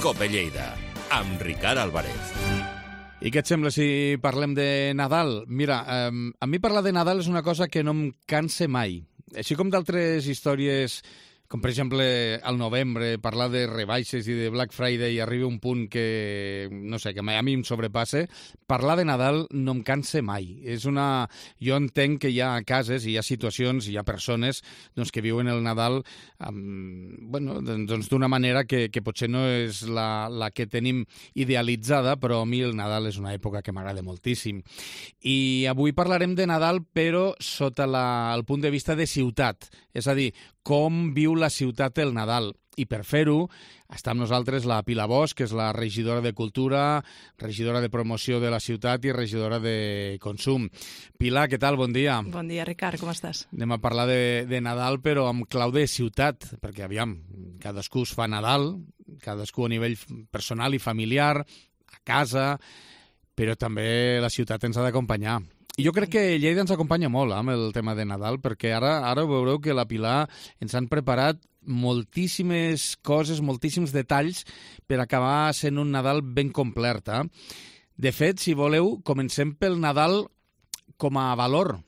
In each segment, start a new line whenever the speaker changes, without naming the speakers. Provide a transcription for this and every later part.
Cope Lleida, amb Ricard Álvarez.
I què et sembla si parlem de Nadal? Mira, a mi parlar de Nadal és una cosa que no em cansa mai. Així com d'altres històries, com per exemple al novembre, parlar de rebaixes i de Black Friday i arriba un punt que, no sé, que a mi em sobrepasse, parlar de Nadal no em cansa mai. Jo entenc que hi ha cases, hi ha situacions, hi ha persones que viuen el Nadal d'una manera que potser no és la que tenim idealitzada, però a mi el Nadal és una època que m'agrada moltíssim. I avui parlarem de Nadal, però sota el punt de vista de ciutat, és a dir, com viu la ciutat el Nadal. I per fer-ho està amb nosaltres la Pilar Bosch, que és la regidora de Cultura, regidora de Promoció de la ciutat i regidora de Consum. Pilar, què tal? Bon dia.
Bon dia, Ricard, com estàs?
Anem a parlar de Nadal, però amb clau de ciutat, perquè, aviam, cadascú es fa Nadal, cadascú a nivell personal i familiar, a casa, però també la ciutat ens ha d'acompanyar. I jo crec que Lleida ens acompanya molt amb el tema de Nadal, perquè ara veureu que la Pilar ens han preparat moltíssimes coses, moltíssims detalls per acabar sent un Nadal ben complet. De fet, si voleu, comencem pel Nadal com a valor.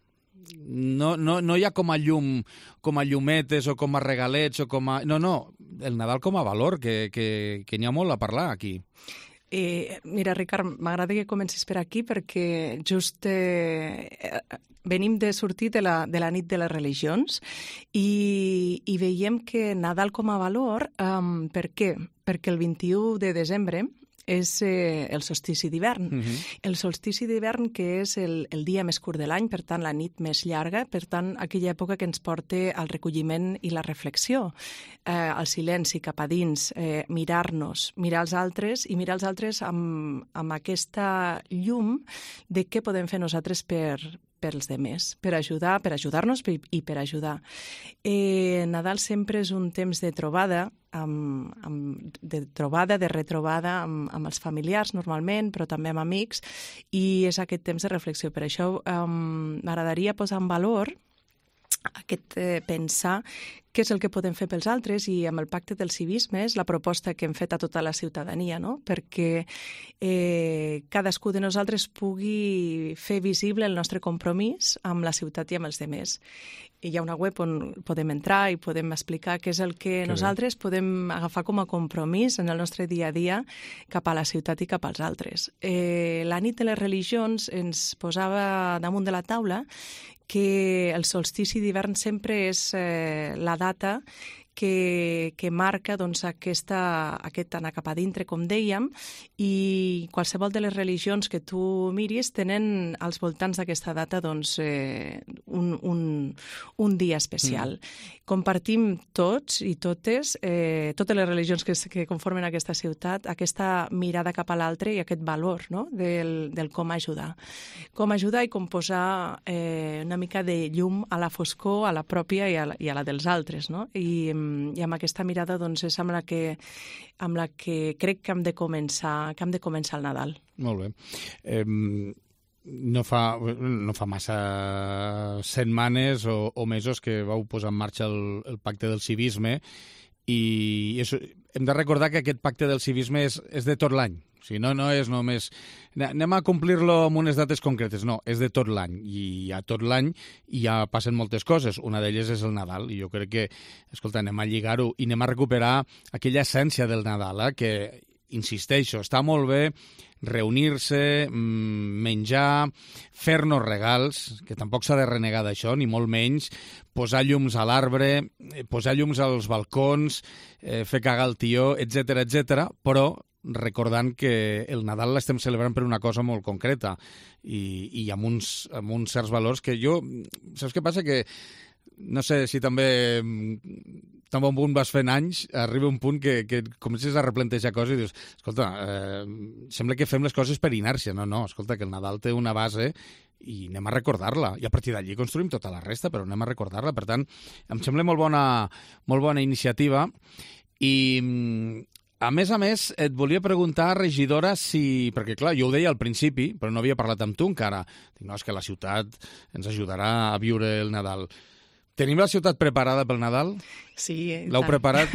No hi ha com a llum, com a llumetes o com a regalets o com a... No, el Nadal com a valor, que n'hi ha molt a parlar aquí.
Mira, Ricard, m'agrada que comencis per aquí perquè just venim de sortir de la nit de les religions i veiem que Nadal com a valor, per què? Perquè el 21 de desembre és el solstici d'hivern. El solstici d'hivern, que és el dia més curt de l'any, per tant, la nit més llarga, per tant, aquella època que ens porta al recolliment i la reflexió, al silenci cap a dins, mirar-nos, mirar els altres i mirar els altres amb aquesta llum de què podem fer nosaltres pels demés, per ajudar-nos i per ajudar. Nadal sempre és un temps de trobada, de retrobada amb els familiars normalment, però també amb amics, i és aquest temps de reflexió. Per això m'agradaria posar en valor pensar què és el que podem fer pels altres, i amb el Pacte del Civisme és la proposta que hem fet a tota la ciutadania, no? Perquè cadascú de nosaltres pugui fer visible el nostre compromís amb la ciutat i amb els demés. Hi ha una web on podem entrar i podem explicar què és el que nosaltres podem agafar com a compromís en el nostre dia a dia cap a la ciutat i cap als altres. La nit de les religions ens posava damunt de la taula que el solstici d'hivern sempre és la data que marca aquest anar cap a dintre, com dèiem, i qualsevol de les religions que tu miris tenen als voltants d'aquesta data un dia especial. Compartim tots i totes les religions que conformen aquesta ciutat, aquesta mirada cap a l'altre i aquest valor, no? del com ajudar. Com ajudar i com posar una mica de llum a la foscor, a la pròpia i a la dels altres, no? I amb aquesta mirada és amb la que crec que hem de començar el Nadal.
Molt bé. No fa massa setmanes o mesos que vau posar en marxa el Pacte del Civisme, i hem de recordar que aquest Pacte del Civisme és de tot l'any. O sigui, no és només anem a complir-lo amb unes dates concretes, no, és de tot l'any, i a tot l'any ja passen moltes coses. Una d'elles és el Nadal, i jo crec que, escolta, anem a lligar-ho i anem a recuperar aquella essència del Nadal, que, insisteixo, està molt bé reunir-se, menjar, fer-nos regals, que tampoc s'ha de renegar d'això, ni molt menys, posar llums a l'arbre, posar llums als balcons, fer cagar el tió, etc, però recordant que el Nadal l'estem celebrant per una cosa molt concreta i amb uns certs valors que jo... Saps què passa? Que no sé si també tan bon punt vas fent anys, arriba un punt que comences a replantejar coses i dius, escolta, sembla que fem les coses per inèrcia. No, escolta, que el Nadal té una base i anem a recordar-la. I a partir d'allí construïm tota la resta, però anem a recordar-la. Per tant, em sembla molt bona iniciativa. I a més, et volia preguntar, regidora, perquè clar, jo ho deia al principi, però no havia parlat amb tu encara. Dic, no, és que la ciutat ens ajudarà a viure el Nadal. Tenim la ciutat preparada pel Nadal?
Sí.
L'heu preparat?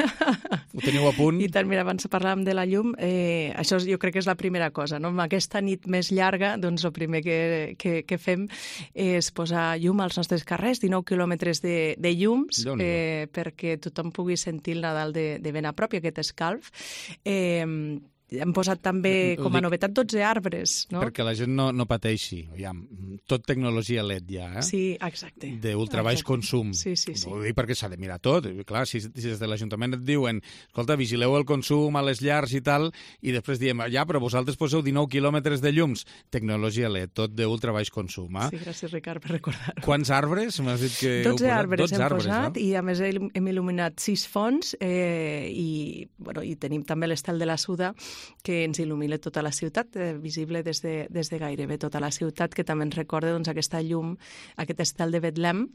Ho teniu a punt?
I tant, mira, abans parlàvem de la llum, això jo crec que és la primera cosa, no? Amb aquesta nit més llarga, doncs el primer que fem és posar llum als nostres carrers, 19 quilòmetres de llums, perquè tothom pugui sentir el Nadal de ben a prop i aquest escalf. Hem posat també com a novetat 12 arbres, no?
Perquè la gent no pateixi. Tot tecnologia LED ja, eh?
Sí, exacte.
D'ultrabaix consum.
Sí.
Ho dic perquè s'ha de mirar tot. Clar, si des de l'Ajuntament et diuen escolta, vigileu el consum a les llars i tal, i després diem, però vosaltres poseu 19 quilòmetres de llums. Tecnologia LED, tot d'ultrabaix consum, eh?
Sí, gràcies, Ricard, per recordar-ho.
Quants arbres m'has dit que
12 arbres hem posat,
no?
i a més hem il·luminat 6 fonts, i tenim també l'estel de la Suda, que ens il·lumina tota la ciutat, visible des de gairebé tota la ciutat, que també ens recorda aquesta llum, aquest estel de Betlem,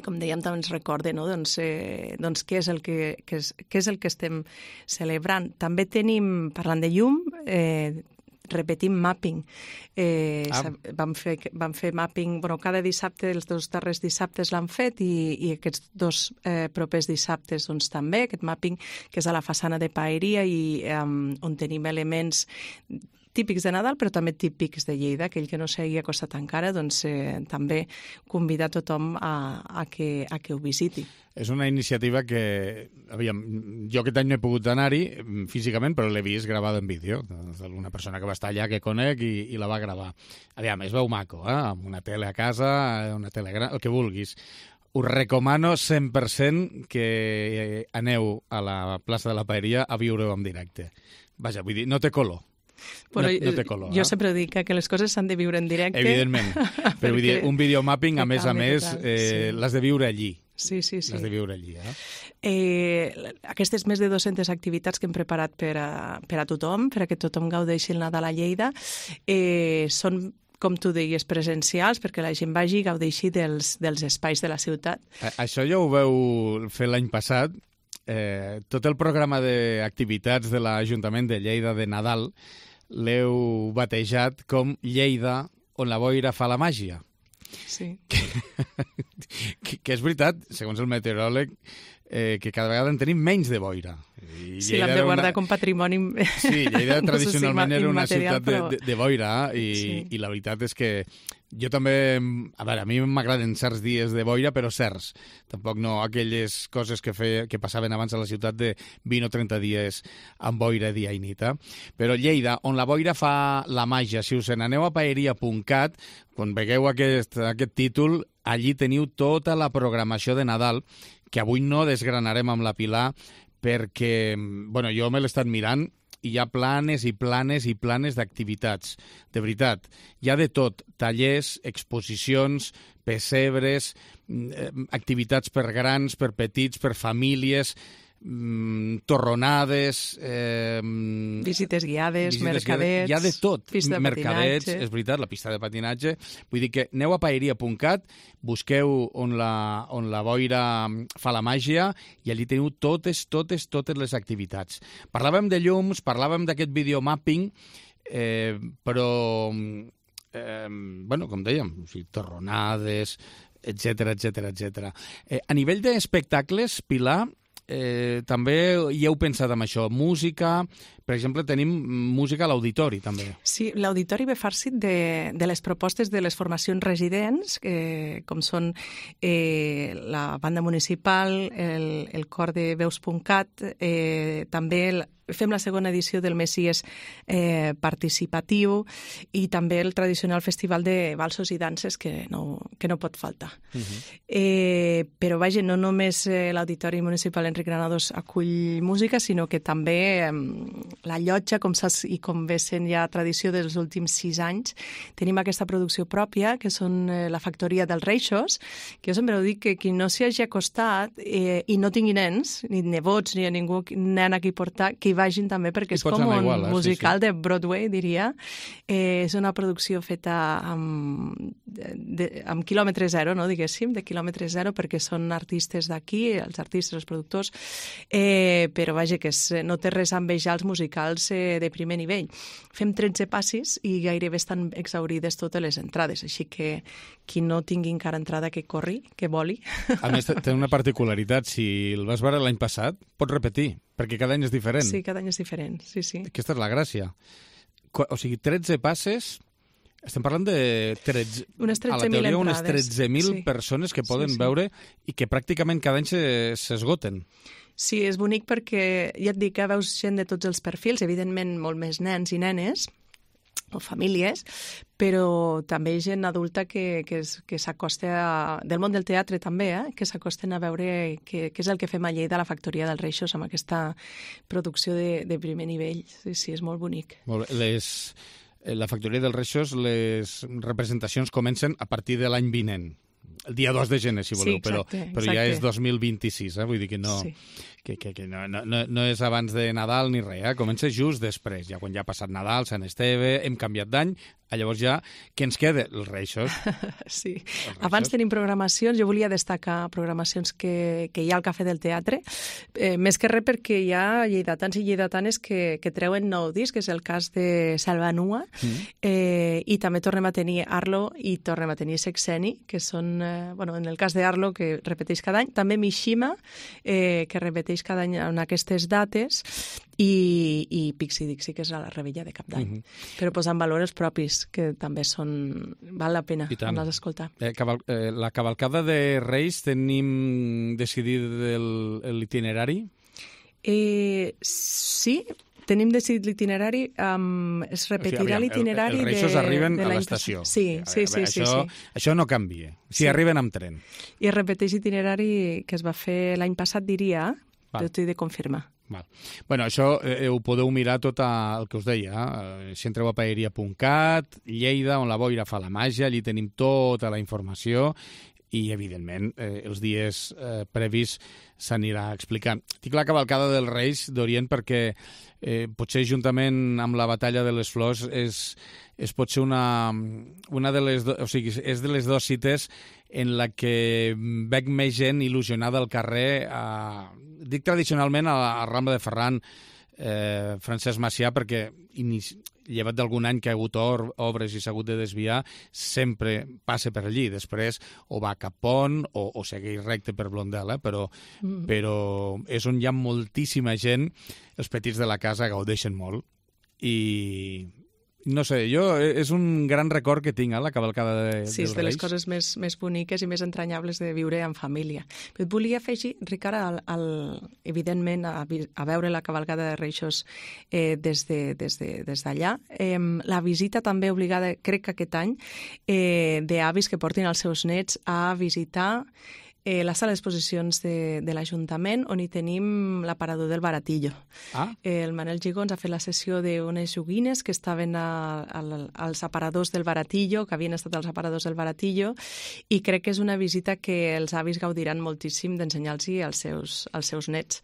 com dèiem, també ens recorda, no? Què és el que estem celebrant. També tenim, parlant de llum, repetim mapping. Vam fer mapping, cada dissabte, els 2 darrers dissabtes l'han fet, i aquests 2 propers dissabtes doncs, també, aquest mapping que és a la façana de Paeria, i on tenim elements típics de Nadal, però també típics de Lleida. Aquell que no s'hagi acostat encara, doncs també convidar tothom a que ho visiti.
És una iniciativa que, jo aquest any no he pogut anar-hi físicament, però l'he vist gravada en vídeo, d'alguna persona que va estar allà que conec i la va gravar. Es veu maco, amb una tele a casa, una tele gran, el que vulguis. Us recomano 100% que aneu a la plaça de la Paeria a viure-ho en directe. Vaja, vull dir, no té color.
Bueno,
no té color.
Jo sempre dic que les coses s'han de viure en directe.
Evidentment, però vull dir, un videomapping, a més, l'has de viure allí.
Sí.
L'has de viure allí,
Aquestes més de 200 activitats que hem preparat per a tothom, perquè tothom gaudeixi el Nadal a Lleida, són, com tu deies, presencials, perquè la gent vagi i gaudeixi dels espais de la ciutat.
Això ja ho veu fer l'any passat. Tot el programa d'activitats de l'Ajuntament de Lleida de Nadal l'heu batejat com Lleida, on la boira fa la màgia.
Sí.
Que és veritat, segons el meteoròleg, que cada vegada en tenim menys de boira.
Sí, l'hem de guardar com patrimoni.
Sí, Lleida tradicionalment era una ciutat de boira, i la veritat és que jo també, a mi m'agraden certs dies de boira, però certs. Tampoc no aquelles coses que passaven abans a la ciutat de 20 o 30 dies amb boira dia i nit. Però Lleida, on la boira fa la màgia, si us n'aneu a paeria.cat, quan vegueu aquest títol, allí teniu tota la programació de Nadal, que avui no desgranarem amb la Pilar, perquè, jo me l'he estat mirant, i hi ha planes i planes i planes d'activitats. De veritat, hi ha de tot. Tallers, exposicions, pessebres, activitats per grans, per petits, per famílies, torronades...
visites guiades, mercadets...
Hi ha de tot.
Pista de
mercadets,
patinatge.
és veritat, la pista de patinatge. Vull dir que aneu a paeria.cat, busqueu on la boira fa la màgia, i allí teniu totes les activitats. Parlàvem de llums, parlàvem d'aquest videomapping, però, com dèiem, torronades, etc. A nivell d'espectacles, Pilar, també hi heu pensat en això, música, per exemple, tenim música a l'auditori també.
Sí, l'auditori ve farcit de les propostes de les formacions residents, com són la banda municipal, el cor de Veus.cat, també fem la segona edició del Messies participatiu, i també el tradicional festival de balsos i danses que no pot faltar. Però vaja, no només l'Auditori Municipal Enric Granados acull música, sinó que també la llotja, com saps i com ve sent ja tradició dels últims 6 anys, tenim aquesta producció pròpia, que són la Factoria dels Reixos, que jo sempre dic que qui no s'hi hagi acostat i no tingui nens, ni nebots, ni a ningú nen a qui portar, que hi vagin també, perquè és com un musical de Broadway, diria. És una producció feta amb quilòmetre zero, no, diguéssim, de quilòmetre zero, perquè són artistes d'aquí, els artistes, els productors, però vaja, que no té res a envejar els musicals de primer nivell. Fem 13 passis i gairebé estan exaurides totes les entrades, així que qui no tingui encara entrada que corri, que voli.
A més, té una particularitat, si el vas veure l'any passat, pots repetir. Perquè cada any és diferent.
Sí, cada any és diferent, sí.
Aquesta és la gràcia. O sigui, 13 passes... Estem parlant de 13...
Unes 13.000
a la teoria, unes
entrades.
13.000 persones que poden veure i que pràcticament cada any s'esgoten.
Sí, és bonic perquè, ja et dic, que veus gent de tots els perfils, evidentment molt més nens i nenes, o famílies, però també gent adulta que s'acosta del món del teatre també, que s'acosten a veure què és el que fem a Lleida a la Factoria dels Reixos amb aquesta producció de primer nivell. Sí, és molt bonic.
Molt bé. La Factoria dels Reixos, les representacions comencen a partir de l'any vinent. El dia 2 de gener, si voleu,
exacte.
Ja és 2026, vull dir que no, no és abans de Nadal ni res, comença just després, ja quan ja ha passat Nadal, Sant Esteve, hem canviat d'any, llavors ja, què ens queda? Els Reixos.
Sí, abans tenim programacions, jo volia destacar programacions que hi ha al Cafè del Teatre, més que res perquè hi ha lleidatans i lleidatanes que treuen nou disc, que és el cas de Salvanua, i també tornem a tenir Arlo i tornem a tenir Sexeni, que són, en el cas d'Arlo, que repeteix cada any, també Mishima, que repeteix cada any en aquestes dates, i Pixie Dixie, que és a la Rebella de Cap d'Any. Però posant valor els propis, que també val la pena anar-los a escoltar.
La cavalcada de Reis tenim decidit l'itinerari?
Sí, tenim decidit l'itinerari, es repetirà l'itinerari de l'any passat.
Els Reixos arriben a l'estació.
Sí.
Això no canvia, si arriben amb tren.
I es repeteix l'itinerari que es va fer l'any passat, diria, però t'ho he de confirmar.
Bueno, això ho podeu mirar tot el que us deia. Si entreu a paeria.cat, Lleida, on la boira fa la màgia, allí tenim tota la informació i, evidentment, els dies previs s'anirà explicant. Dic la cavalcada dels Reis d'Orient perquè potser juntament amb la batalla de les Flors és potser una de les... O sigui, és de les dues cites en la que veig més gent il·lusionada al carrer, dic tradicionalment a la Rambla de Ferran, Francesc Macià, perquè llevat d'algun any que ha hagut obres i s'ha hagut de desviar, sempre passa per allí. Després o va cap Pont o segueix recte per Blondel, però és on hi ha moltíssima gent. Els petits de la casa gaudeixen molt i... No sé, és un gran record que tinc, la cavalcada dels Reis.
Sí, és de les coses més boniques i més entranyables de viure en família. Però et volia afegir, Ricard, evidentment, a veure la cavalcada de Reixos des d'allà. La visita també obligada, crec que aquest any, d'avis que portin els seus nets a visitar la sala d'exposicions de l'Ajuntament, on hi tenim l'aparador del Baratillo. El Manel Gigons ha fet la sessió d'unes joguines que estaven als aparadors del Baratillo, que havien estat als aparadors del Baratillo, i crec que és una visita que els avis gaudiran moltíssim d'ensenyar-los als seus nets.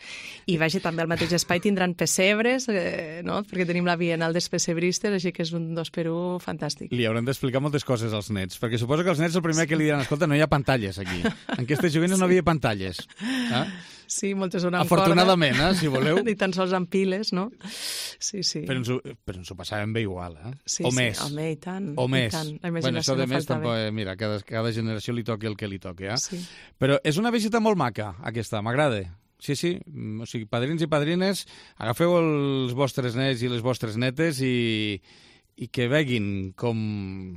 I vaja, també al mateix espai tindran pessebres, no? Perquè tenim la Bienal dels Pessebristes, així que és un 2x1 fantàstic.
Li haurem d'explicar moltes coses als nets, perquè suposo que els nets el primer que li diran, escolta, no hi ha pantalles aquí. En aquestes joguines no havia pantalles.
Sí, moltes són amb
afortunadament, si voleu.
Ni tan sols amb piles, no? Sí.
Però ens ho passàvem bé igual,
Sí,
o més.
Home, i tant.
O més.
La imaginació no falta bé.
Mira, cada generació li toqui el que li toqui,
Sí.
Però és una visita molt maca, aquesta, m'agrada. Sí. O sigui, padrins i padrines, agafeu els vostres nets i les vostres netes i que veguin com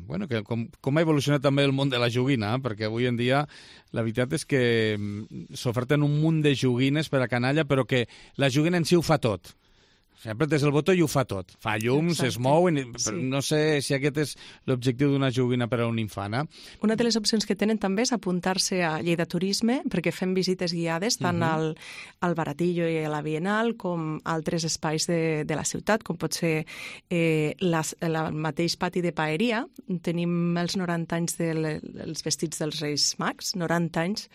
ha evolucionat també el món de la joguina, perquè avui en dia la veritat és que s'oferten un munt de joguines per a canalla, però que la joguina en si ho fa tot. Sempre des del botó i ho fa tot. Fa llums, es mou, però no sé si aquest és l'objectiu d'una joguina per a un infant.
Una de les opcions que tenen també és apuntar-se a Lleida Turisme, perquè fem visites guiades tant al Baratillo i a la Bienal com a altres espais de la ciutat, com pot ser el mateix pati de Paeria. Tenim els 90 anys dels vestits dels Reis Mags, 90 anys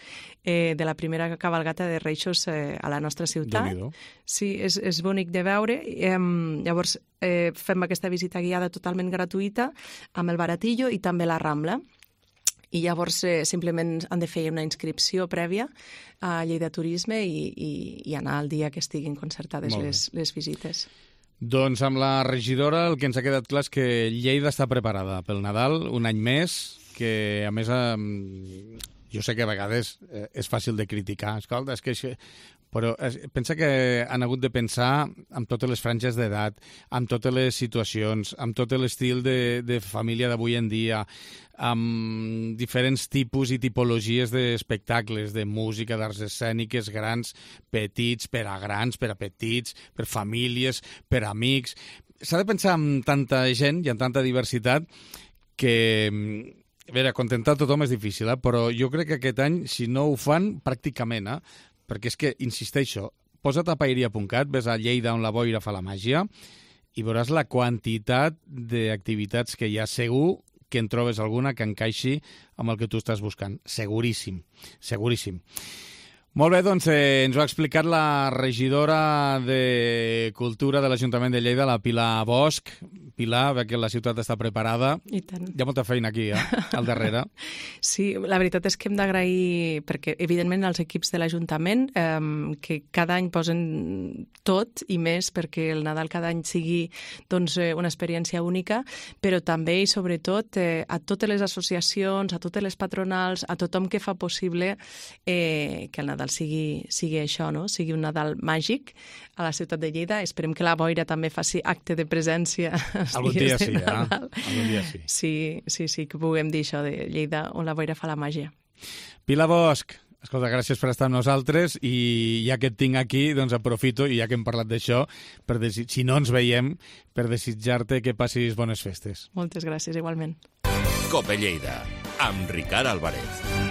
de la primera cavalgata de Reixos a la nostra ciutat. Sí, és bonic de veure. Llavors fem aquesta visita guiada totalment gratuïta amb el Baratillo i també la Rambla. I llavors simplement han de fer una inscripció prèvia a Lleida Turisme i anar al dia que estiguin concertades les visites.
Doncs amb la regidora el que ens ha quedat clar és que Lleida està preparada pel Nadal un any més, que a més Jo sé que a vegades és fàcil de criticar, escolta, és que això... Però pensa que han hagut de pensar amb totes les franges d'edat, amb totes les situacions, amb tot l'estil de família d'avui en dia, amb diferents tipus i tipologies d'espectacles, de música, d'arts escèniques, grans, petits, per a grans, per a petits, per famílies, per amics. S'ha de pensar en tanta gent i en tanta diversitat que... A veure, contentar tothom és difícil, però jo crec que aquest any, si no ho fan, pràcticament, perquè és que, insisteixo, posa't a paeria.cat, ves a Lleida on la boira fa la màgia i veuràs la quantitat d'activitats que hi ha. Segur que en trobes alguna que encaixi amb el que tu estàs buscant. Seguríssim, seguríssim. Molt bé, doncs ens ho ha explicat la regidora de Cultura de l'Ajuntament de Lleida, la Pilar Bosch. Pilar, ve que la ciutat està preparada.
I tant.
Hi ha molta feina aquí, al darrere.
Sí, la veritat és que hem d'agrair, perquè evidentment els equips de l'Ajuntament, que cada any posen tot i més perquè el Nadal cada any sigui doncs, una experiència única, però també i sobretot a totes les associacions, a totes les patronals, a tothom que fa possible que el Nadal sigui això, no? Sigui un Nadal màgic a la ciutat de Lleida. Esperem que la boira també faci acte de presència
algun dia sí, algun dia sí.
Sí, que puguem dir això de Lleida on la boira fa la màgia.
Pilar Bosch, escolta, gràcies per estar amb nosaltres i ja que et tinc aquí, doncs aprofito, i ja que hem parlat d'això, si no ens veiem, per desitjar-te que passis bones festes.
Moltes gràcies, igualment.
Cope Lleida, amb Ricard Álvarez.